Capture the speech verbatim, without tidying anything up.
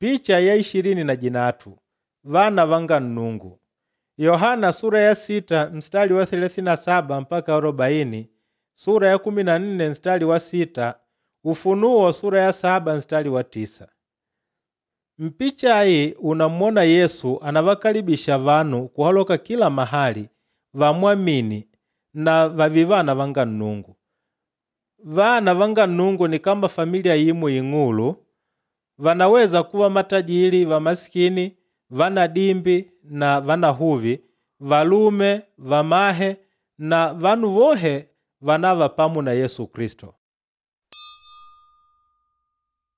Picha ya ishirini na jinatu vana vanga Nnungu. Yohana sura ya sita mstari wa thelathini na saba mpaka arobaini, sura ya kumi na nne mstari wa sita, Ufunuo sura ya saba mstari wa tisa. Mpicha ayi unamwona Yesu anavakalibisha vanu kuhaloka kila mahali vamwamini na vààve vana vanga Nnungu. Vana vanga Nnungu ni kama familia imo ing'ulu, vanaweza kuva matajili, vamasikini, vanadimbi na vanahuvi, valume, vamahe na vanu vohe vànava pamo na Yesu Kilisto.